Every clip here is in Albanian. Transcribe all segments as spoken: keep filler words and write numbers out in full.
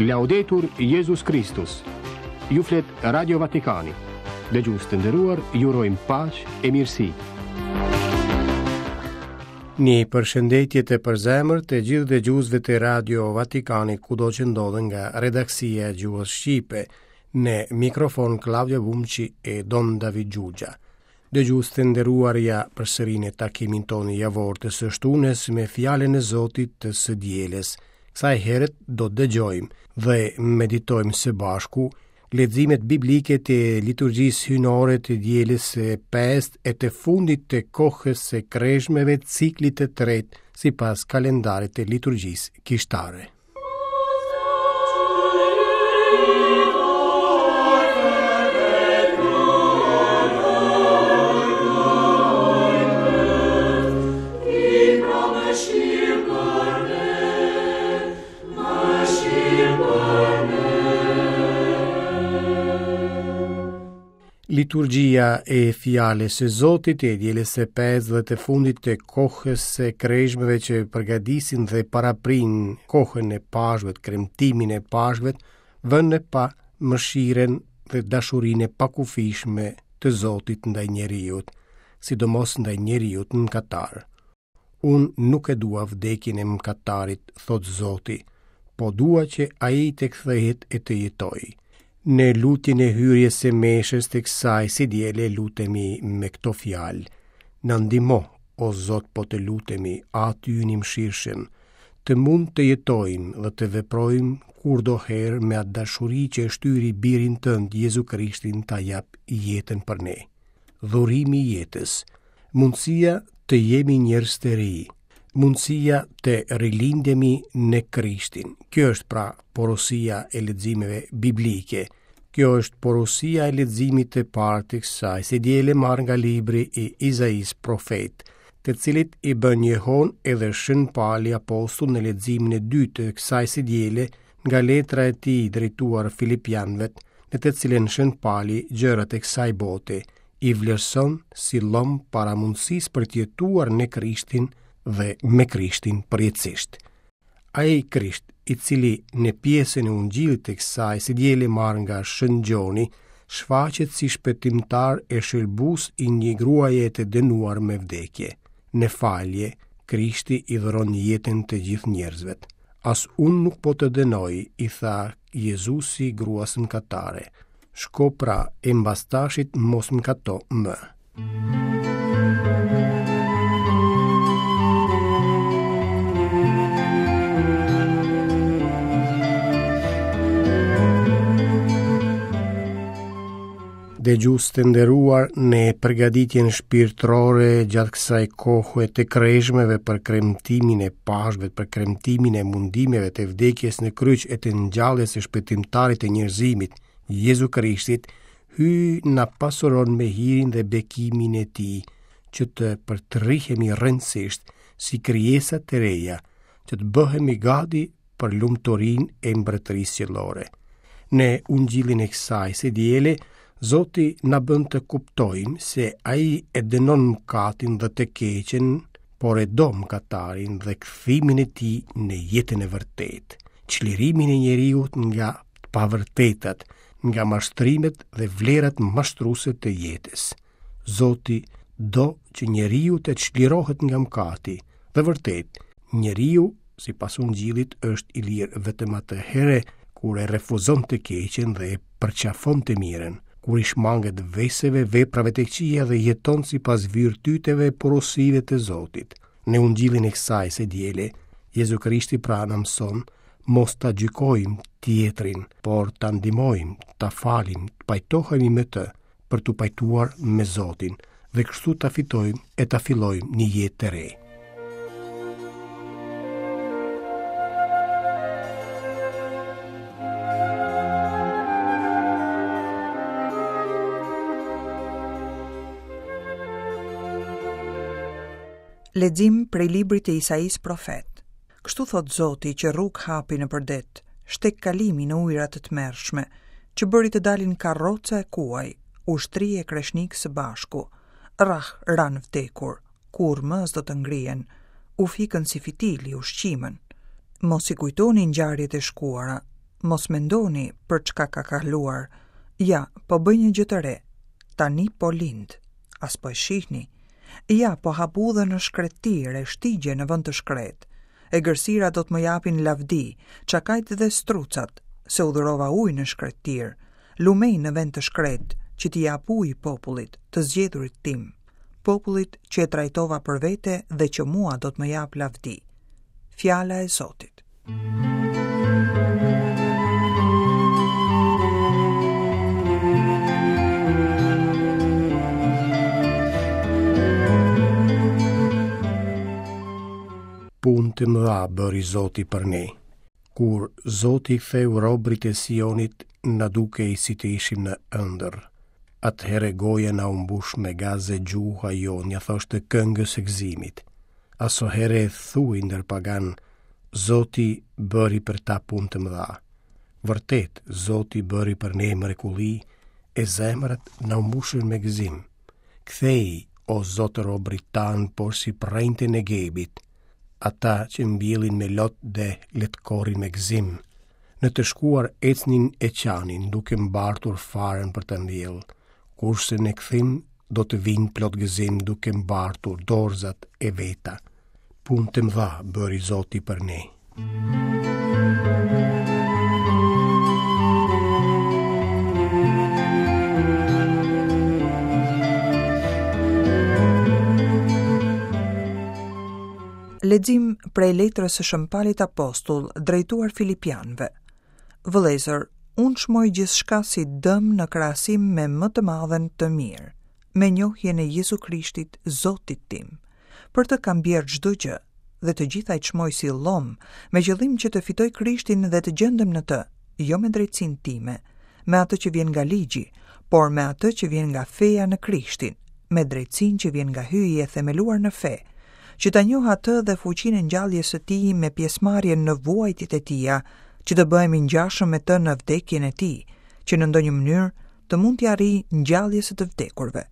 Laudetur Jezus Kristus. Ju flet Radio Vatikani. Dëgjues të nderuar, ju urojmë paqe e mirësi. Një përshëndetje të përzemërt të gjithë dëgjuesve të Radio Vatikanit kudo që ndodhen nga redaksia e gjuhës shqipe. Në mikrofon Klaudio Bumçi e Don David Xhuxha. Dëgjues të nderuar, ja përsëri në takimin tonë javor të së shtunës me fjalën e Zotit të së dielës. Kësaj here do të dëgjojmë dhe meditojmë së bashku leximet biblike të liturgjisë hyjnore të dielës së pestë e të fundit të kohës së kreshmeve, ciklit të tretë sipas kalendarit të liturgjisë kishtare. Liturgjia e fjalës së Zotit e dielës së pestë dhe të fundit të kohës së kreshmeve që përgatisin dhe paraprijnë kohën e Pashkëve, kremtimin e Pashkëve, vën në pah mëshirën dhe dashurinë e pakufishme të Zotit ndaj njeriut, sidomos ndaj njeriut mëkatar. Unë nuk e dua vdekjen e mëkatarit, thotë Zoti, po dua që ai të kthehet e të jetojë. Në lutjen e hyrjes së meshës të kësaj së diele lutemi me këto fjalë: Na ndihmo, o Zot, po të lutemi, Ati ynë i mëshirshëm, të mund të jetojmë dhe të veprojmë kurdoherë me atë dashuri që e shtyri birin tënd Jezu Krishtin ta jap jetën për ne. Dhurimi i jetës, mundësia të jemi njerëz të ri, mundësia të rilindemi në Krishtin. Kjo është pra porosia e leximeve biblike. Kjo është porosia e leximit të parë të kësaj së diele marrë nga libri i Izaisë profet, të cilit i bën jehon edhe Shën Pali apostull në leximin e dytë të kësaj së diele nga letra e tij drejtuar Filipianëve, në të cilën Shën Pali gjërat e kësaj bote i vlerëson si llom para mundësisë për të jetuar në Krishtin dhe me Krishtin përjetësisht. Ai Krisht, i cili në pjesën e Ungjillit të kësaj së diele marrë nga Shën Gjoni, shfaqet si shpëtimtar e shëlbues i një gruaje të dënuar me vdekje. Në falje, Krishti i dhuron jetën të gjithë njerëzve. As unë nuk po të dënoj, i tha Jezusi gruas mëkatare. Shko pra e mbas tashit mos mëkato më. Dëgjues të nderuar, në përgatitjen shpirtërore gjatë kësaj kohe të kreshmeve për kremtimin e Pashkëve, për kremtimin e mundimeve të vdekjes në kryq e të ngjalljes së shpëtimtarit të njerëzimit, Jezu Krishtit, Hyji na pasuron me hirin dhe bekimin e tij, që të përtrihemi rëndësisht si krijesa të reja, që të bëhemi gati për lumturinë e mbretërisë qiellore. Në Ungjillin e kësaj së diele, Zoti na bën të kuptojmë se ai e dënon mëkatin dhe të keqen, por e do mëkatarin dhe kthimin e tij në jetën e vërtetë, çlirimin e njeriut nga të pavërtetat, nga mashtrimet dhe vlerat mashtruese të jetës. Zoti do që njeriu të çlirohet nga mëkati, dhe vërtet, njeriu, sipas Ungjillit, është i lirë vetëm atëherë kur e refuzon të keqen dhe e përqafon të mirën, kur i shmanget veseve, veprave të këqija dhe jeton sipas virtyteve e porosive të Zotit. Në Ungjillin e kësaj së diele, Jezu Krishti pra na mëson mos ta gjykojmë tjetrin, por ta ndihmojmë, ta falim, të pajtohemi me të, për t'u pajtuar me Zotin, dhe kështu ta fitojmë e ta fillojmë një jetë të re. Lexim prej librit të Isaisë profet. Kështu thot Zoti që rrugë hapi nëpër det, shtek kalimi në ujëra të tmerrshme, që bëri të dalin karroca e kuaj, ushtri e kreshnik së bashku. Rrah ranë vdekur, kur më s'do të ngrihen, u fikën si fitili ushqimën. Mos i kujtoni ngjarjet e shkuara, Mos mendoni për çka ka kaluar. Ja, po bëj një gjë të re. Tani po lind. A s'po e shihni. Ja, po hap udhën në shkretëtirë e shtigje në vend të shkretë. Egërsira do të më japin lavdi, çakajt dhe strucat, se udhërova ujë në shkretëtirë, lumej në vend të shkretë, që t'i jap ujë popullit, të zgjedhurit tim, popullit që e trajtova për vete dhe që mua do të më jap lavdi. Fjala e Zotit. Punë të mëdha bëri Zoti për ne. Kur Zoti ktheu robrit e Sionit, na dukej si të ishim në ëndër. Atëherë goja na u mbush me gaz e gjuha jonë ja thoshte këngës së gëzimit. Asohere thuaj ndër pagan, Zoti bëri për ta punë të mëdha. Vërtet, Zoti bëri për ne mrekulli, e zemrat na u mbushën me gëzim. Kthej, o Zot robrit tan, porsi prejnte në Gebit, ata që mbjellin me lot dhe le të korrin me gëzim. Në të shkuar ecnin e qanin, duke mbartur farën për të mbjellë, kurse në kthim do të vinë plot gëzim duke mbartur dorzat e veta. Punë të mëdha bëri Zoti për ne. Lexim prej letrës së Shën Palit Apostull drejtuar Filipianëve. Vëllezër, unë çmoj gjithçka si dëm në krahasim me më të madhen të mirë, me njohjen e Jezu Krishtit, Zotit tim. Për të kam bjerë çdo gjë dhe të gjitha i çmoj si llom, me qëllim që të fitoj Krishtin dhe të gjendem në të, jo me drejtsinë time, me atë që vjen nga ligji, por me atë që vjen nga feja në Krishtin, me drejtsinë që vjen nga hyji e themeluar në fe, që ta njoh atë dhe fuqinë e ngjalljes së tij me pjesëmarrjen në vuajtjet e tija, që të bëhemi ngjashëm me të në vdekjen e tij, që në ndonjë mënyrë të mund t'i arrij ngjalljes së të vdekurve.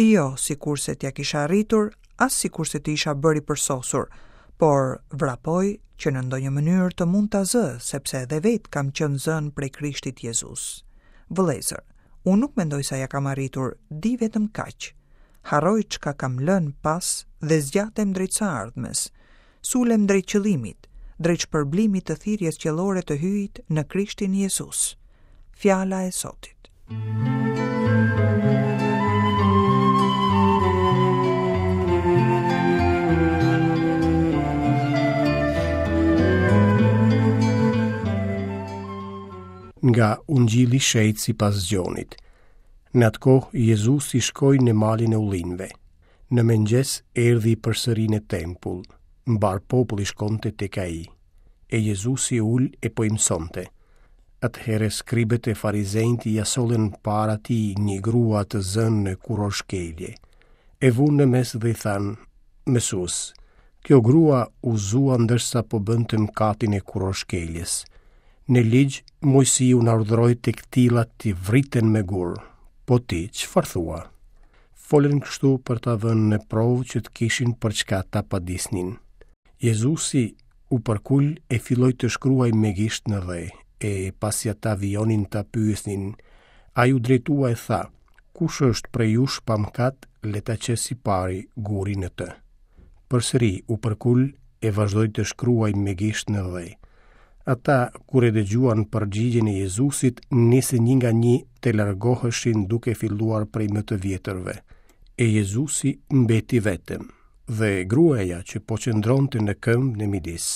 Jo, sikurse t'ja kisha arritur, as sikurse të isha bërë i përsosur, por vrapoj që në ndonjë mënyrë të mund ta zë, sepse edhe vetë kam qenë zënë prej Krishtit Jezus. Vëllezër, unë nuk mendoj se ja kam arritur, di vetëm kaq. Harroj çka kam lënë pas dhe zgjatem drejt së ardhmes. Sulem drejt qëllimit, drejt shpërblimit të thirrjes qiellore të hyjit në Krishtin Jezus. Fjala e Zotit. Nga Ungjilli i Shenjtë sipas Gjonit. Në atë kohë Jezusi shkoi në malin e ullinjve. Në mëngjes erdhi përsëri në tempull. Mbar populli shkonte tek ai. E Jezusi ul e po i mësonte. Atëherë skribët e farizenjtë ia sollën para tij një grua të zënë në kurorshkelje. E vunë në mes dhe i thanë: Mësues, kjo grua u zua ndërsa po bënte mëkatin e kurorshkeljes. Në ligj, Moisiu na urdhëroi të këtillat t'i vriten me gur. Po ti, çfarë thua? Folën kështu për ta vënë në provë që të kishin për çka ta padisnin. Jezusi u përkul e filloi të shkruaj me gisht në dhe, e pasi ata vijonin ta pyesnin, ai u drejtua e tha: Kush është prej jush pa mëkat, le ta qesë i pari gurin në të. Përsëri u përkul e vazhdoi të shkruaj me gisht në dhe. Ata, kur e dëgjuan përgjigjen e Jezusit, nisën një nga një të largoheshin duke filluar prej më të vjetërve. E Jezusi mbeti vetëm, dhe gruaja që po qëndronte në këmbë në midis.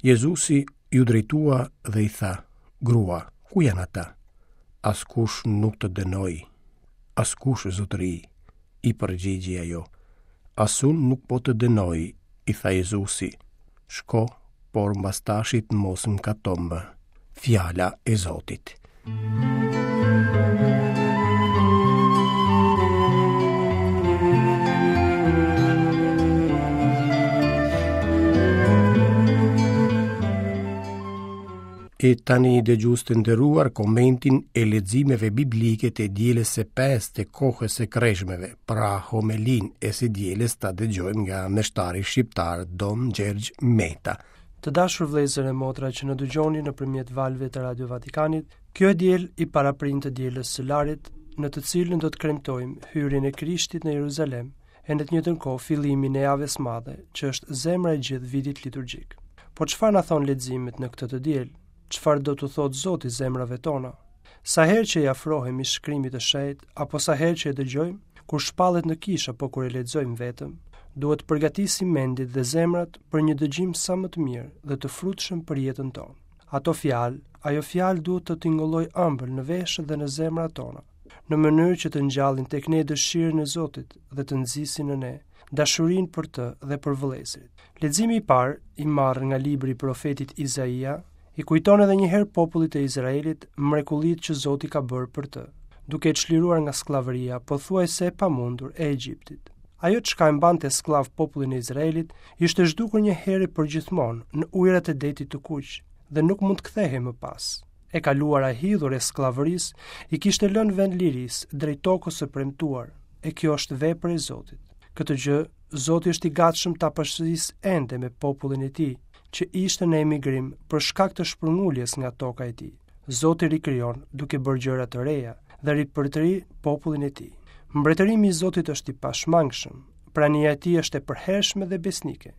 Jezusi ju drejtua dhe i tha: Grua, ku janë ata? Askush nuk të dënoi. Askush, zotëri, i përgjigji ajo. As unë nuk po të dënoj, i tha Jezusi. Shko, por mbas tashit mos mëkato më. Fjala e Zotit. E tani dëgjues të nderuar komentin e leximeve biblike të dielës së pestë të kohës së kreshmeve, pra homelin e së dielës ta dëgjojmë nga meshtari shqiptar Dom Gjergj Meta. Të dashur vëllezër e motra që na dëgjoni nëpërmjet valëve të Radio Vatikanit, kjo e diel i paraprin të dielës së Larit, në të cilën do të kremtojmë hyrjen e Krishtit në Jeruzalem, e në të njëjtën kohë fillimin e javës madhe, që është zemra e gjithë vitit liturgjik. Po çfarë na thon leximet në këtë të diel? Çfarë do t'u thotë Zoti zemrave tona? Sa herë që i afrohemi shkrimit të shenjtë apo sa herë që e dëgjojmë, kur shpallet në kishë apo kur e lexojmë vetëm, duhet të përgatisim mendjet dhe zemrat për një dëgjim sa më të mirë dhe të frutshëm për jetën tonë. Ato fjalë, ajo fjalë duhet të tingëllojë ëmbël në veshët dhe në zemrat tona, në mënyrë që të ngjallin tek ne dëshirën e Zotit dhe të nxisin në ne dashurinë për të dhe për vëllezërit. Leximi i parë, i marrë nga libri i profetit Izaia, i kujton edhe një herë popullit të Izraelit mrekullitë që Zoti ka bërë për të, duke e çliruar nga skllavëria pothuajse e pamundur e Egjiptit. Ajo çka e mbante skllav popullin e Izraelit ishte zhdukur një herë përgjithmonë në ujërat e detit të Kuq dhe nuk mund të kthehej më pas. E kaluara e hidhur e skllavërisë i kishte lënë vend lirisë drejt tokës së premtuar, e kjo është vepër e Zotit. Këtë gjë Zoti është i gatshëm ta përsërisë ende me popullin e tij, që ishte në emigrim për shkak të shpërnguljes nga toka e tij. Zoti rikrijon duke bërë gjëra të reja dhe ripërtëri popullin e tij. Mbretërimi i Zotit është i pashmangshëm, prania e tij është e përhershme dhe besnike.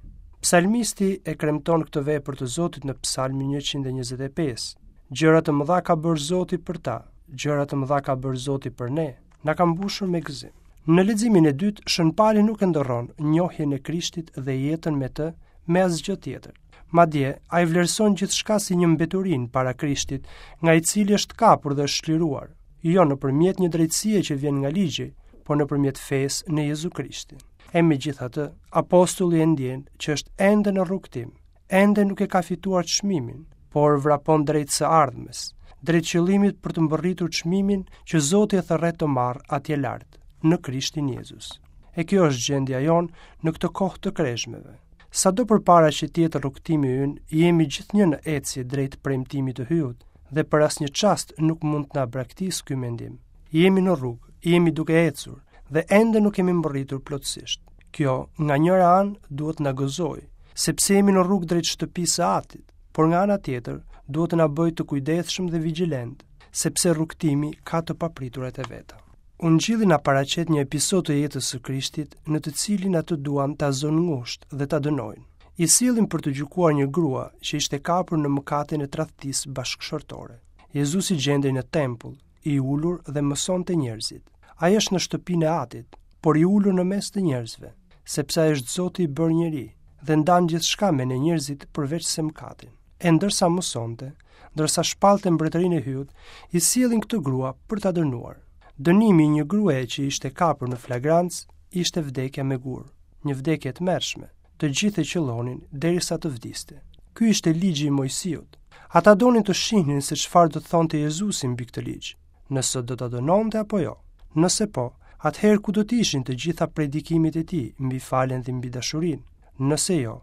Psalmisti e kremton këtë vepër të Zotit në Psalmin njëqind e njëzet e pesë. Gjëra të mëdha ka bërë Zoti për ta, gjëra të mëdha ka bërë Zoti për ne, na ka mbushur me gëzim. Në leximin e dytë, Shën Pali nuk e ndërron njohjen e Krishtit dhe jetën me të me asgjë tjetër. Madje, ai vlerëson gjithçka si një mbeturin para Krishtit, nga i cili është kapur dhe është çliruar, jo nëpërmjet një drejtësie që vjen nga ligji, por nëpërmjet fesë në Jezu Krishtin. E megjithatë, apostulli e ndjen që është ende në rrugtim, ende nuk e ka fituar çmimin, por vrapon drejt së ardhmes, drejt qëllimit për të mbërritur çmimin që Zoti e thërret të marrë atje lart, në Krishtin Jezus. E kjo është gjendja jonë në këtë kohë të kreshmeve. Sado përpara që të jetë rrugtimi ynë, jemi gjithnjë në ecje drejt premtimit të Hyut dhe për asnjë çast nuk mund të na braktisë ky mendim. Jemi në rrugë, jemi duke ecur dhe ende nuk kemi mbërritur plotësisht. Kjo, nga njëra anë, duhet na gëzojë, sepse jemi në rrugë drejt shtëpisë së Atit, por nga ana tjetër, duhet të na bëjë të kujdesshëm dhe vigjilent, sepse rrugtimi ka të papriturat e veta. Ungjilli na paraqet një episod të jetës së Krishtit në të cilin atë duan ta zënë ngushtë dhe ta dënojnë. I sjellin për të gjykuar një grua që ishte kapur në mëkatin e tradhtisë bashkëshortore. Jezusi gjendej në tempull, i ulur dhe mësonte njerëzit. Ai është në shtëpinë e Atit, por i ulur në mes të njerëzve, sepse ai është Zoti i bërë njeri dhe ndan gjithçka me ne njerëzit përveç se mëkatin. E ndërsa mësonte, ndërsa shpallte mbretërinë e Hyut, i sjellin këtë grua për ta dënuar. Dënimi i një gruaje që ishte kapur në flagrancë ishte vdekja me gur, një vdekje e tmerrshme. Të gjithë e qellonin derisa të vdiste. Ky ishte ligji i Mojsiut. Ata donin të shihnin se çfarë do të thonte Jezusi mbi këtë ligj, nëse do ta dënonte apo jo. Nëse po, atëherë ku do të ishin të gjitha predikimet e tij mbi faljen dhe mbi dashurinë? Nëse jo,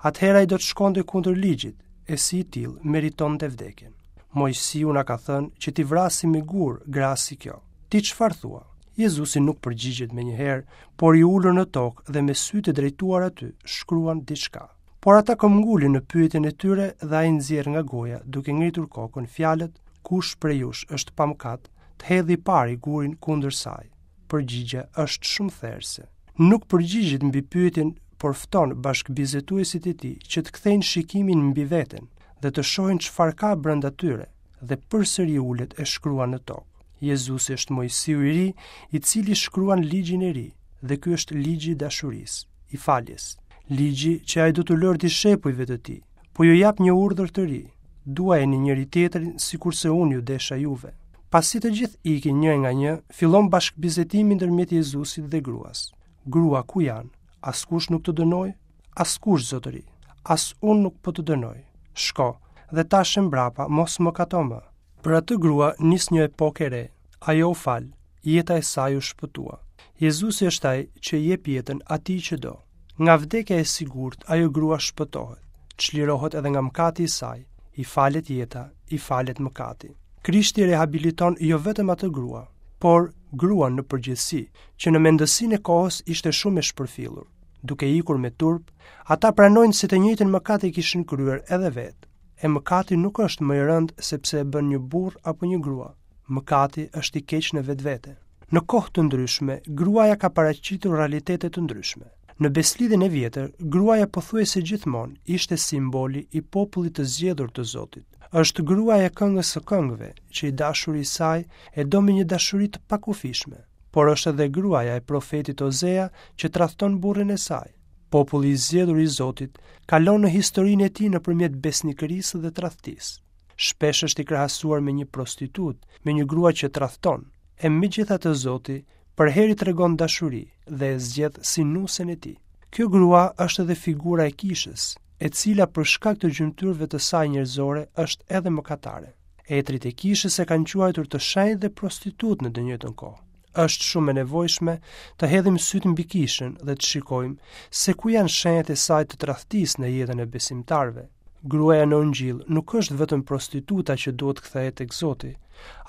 atëherë ai do të shkonte kundër ligjit, e si i tillë meritonte vdekjen. Mojsiu na ka thënë që t'i vrasim me gur gra si kjo. Ti çfarë thua? Jezusi nuk përgjigjet menjëherë, por i ulur në tokë dhe me sytë e drejtuar aty, shkruan diçka. Por ata këmbgulin në pyetjen e tyre dhe ai nxjerr nga goja, duke ngritur kokën fjalët, kush prej jush është pa mëkat, të hedhë i pari gurin kundër saj. Përgjigja është shumë therëse. Nuk përgjigjet mbi pyetjen, por fton bashkëbisetuesit e tij që të kthejnë shikimin mbi veten dhe të shohin çfarë ka brenda tyre, dhe përsëri ulet e shkruan në tokë. Jezusi është Mojsiu i ri, i cili shkruan ligjin e ri, dhe ky është ligji i dashurisë, i faljes. Ligji që ai do t'u lërë dishepujve të tij, po ju jap një urdhër të ri: duajeni njëri tjetrin sikurse unë ju desha juve. Pasi të gjithë ikin një nga një, fillon bashkëbisedimi ndërmjet Jezusit dhe gruas. Grua, ku janë? Askush nuk të dënoi? Askush, zotëri. As unë nuk po të dënoj. Shko, dhe tash e mbrapa mos mëkato më. Për atë grua nis një epokë e re. Ajo u fal, jeta e saj u shpëtua. Jezusi është ai që i jep jetën atij që do. Nga vdekja e sigurt, ajo grua shpëtohet, çlirohet edhe nga mëkati i saj, i falet jeta, i falet mëkati. Krishti rehabiliton jo vetëm atë grua, por gruan në përgjithësi, që në mendësinë e kohës ishte shumë e shpërfillur. Duke ikur me turp, ata pranojnë se të njëjtin mëkat e kishin kryer edhe vetë. E mëkati nuk është më i rëndë sepse e bën një burrë apo një grua. Mëkati është i keq në vetvete. Në kohë të ndryshme, gruaja ka paraqitur realitete të ndryshme. Në Besëlidhjen e vjetër, gruaja pothuajse gjithmonë ishte simboli i popullit të zgjedhur të Zotit. Është gruaja e këngës së këngëve, që i dashuri i saj e do me një dashuri të pakufishme, por është edhe gruaja e profetit Ozea që tradhton burrin e saj. Populli i zgjedhur i Zotit kalon në historinë e tij nëpërmjet besnikërisë dhe tradhtisë. Shpesh është i krahasuar me një prostitutë, me një grua që tradhton. E megjithatë Zoti përherë i tregon dashuri dhe e zgjedh si nusen e tij. Kjo grua është edhe figura e kishës, e cila për shkak të gjymtyrëve të saj njerëzore është edhe mëkatare. Etrit e kishës e kanë quajtur të shenjtë dhe prostitutë në të njëjtën kohë. Është shumë e nevojshme të hedhim sytë mbi kishën dhe të shikojmë se ku janë shenjat e saj të tradhtisë në jetën e besimtarëve. Gruaja në Ungjill nuk është vetëm prostituta që duhet kthehet tek Zoti,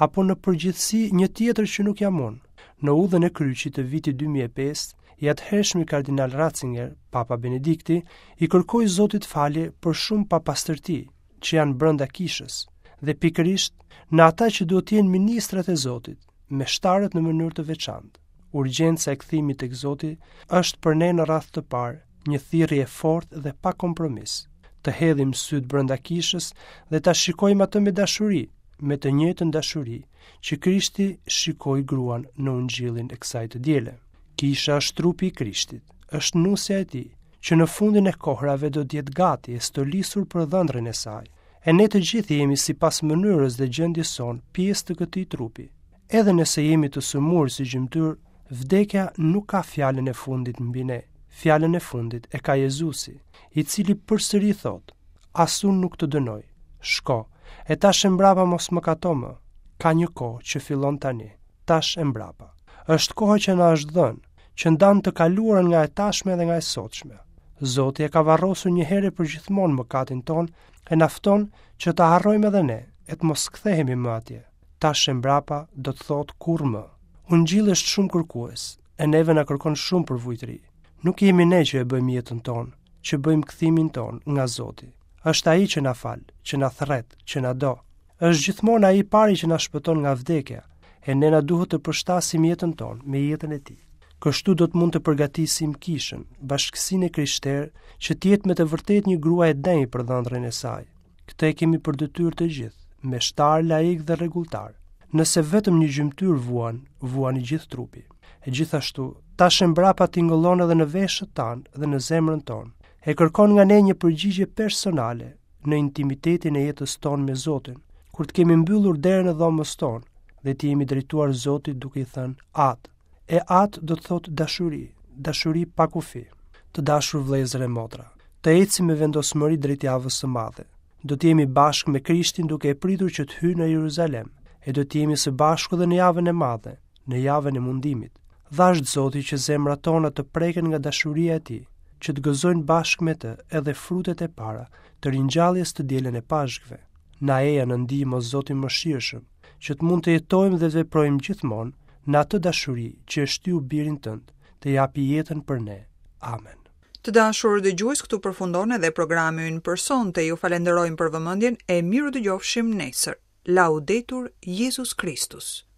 apo në përgjithësi një tjetër që nuk jam unë. Në udhën e kryqit të vitit dy mijë e pesë, i atëhershmi kardinal Ratzinger, Papa Benedikti, i kërkoi Zotit falje për shumë papastërti që janë brenda kishës, dhe pikërisht në ata që duhet të jenë ministrat e Zotit, meshtarët në mënyrë të veçantë. Urgjenca e kthimit tek Zoti është për ne në radhë të parë një thirrje e fortë dhe pa kompromis. Të hedhim sytë brenda kishës dhe ta shikojmë atë me dashuri, me të njëjtën dashuri që Krishti shikoi gruan në ungjillin e kësaj të diele. Kisha është trupi i Krishtit, është nusja e tij, që në fundin e kohrave do të jetë gati e stolisur për dhëndrin e saj. E ne të gjithë jemi sipas mënyrës dhe gjendjes sonë pjesë të këtij trupi. Edhe nëse jemi të sëmurë si gjymtyrë, vdekja nuk ka fjalën e fundit mbi ne. Fjalën e fundit e ka Jezusi, i cili përsëri thotë: As unë nuk të dënoj. Shko, e tash e mbrapa mos mëkato më. Ka një kohë që fillon tani, tash e mbrapa. Është koha që na është dhënë, që ndan të kaluarën nga e tashme dhe nga e sotshme. Zoti e ka varrosur një herë përgjithmonë mëkatin ton e na fton që ta harrojmë edhe ne, e të mos kthehemi më atje. Tash e mbrapa do të thotë kurrë më. Ungjilli është shumë kërkues, e neve na kërkon shumë përvujtëri. Nuk jemi ne që e bëjmë jetën tonë, që bëjmë kthimin tonë nga Zoti. Është ai që na fal, që na thret, që na do. Është gjithmonë ai i pari që na shpëton nga vdekja, e ne na duhet të përshtasim jetën tonë me jetën e tij. Kështu do të mund të përgatisim kishën, bashkësinë e krishterë, që të jetë me të vërtetë një grua e denjë për dhëndrin e saj. Këtë e kemi për detyrë të gjithë, meshtar, laik dhe rregulltar. Nëse vetëm një gjymtyrë vuan, vuan i gjithë trupi. E gjithashtu, tash e mbrapa tingëllon edhe në veshët tanë dhe në zemrën tonë. E kërkon nga ne një përgjigje personale në intimitetin e jetës tonë me Zotin, kur të kemi mbyllur derën e dhomës tonë dhe të jemi drejtuar Zotit duke i thënë Atë. E Atë do të thotë dashuri, dashuri pa kufi. Të dashur vëllezër e motra, të ecim me vendosmëri drejt javës së madhe. Do të jemi bashkë me Krishtin duke e pritur që të hyjë në Jeruzalem, e do të jemi së bashku edhe në javën e madhe, në javën e mundimit. Dhashtë Zoti që zemrat tona të preken nga dashuria e tij, që të gëzojnë bashkë me të edhe frutet e para të ringjalljes të dielën e Pashkëve. Na eja në ndihmë o Zoti mëshirshëm, që të mund të jetojmë dhe të veprojmë gjithmonë në atë dashuri që e shtyu birin tënd të japi jetën për ne. Amen. Të dashur dëgjues, këtu përfundon edhe programi ynë për sonte. Ju falenderojmë për vëmendjen e miru dëgjofshim nesër. Laudetur Jezus Kristus.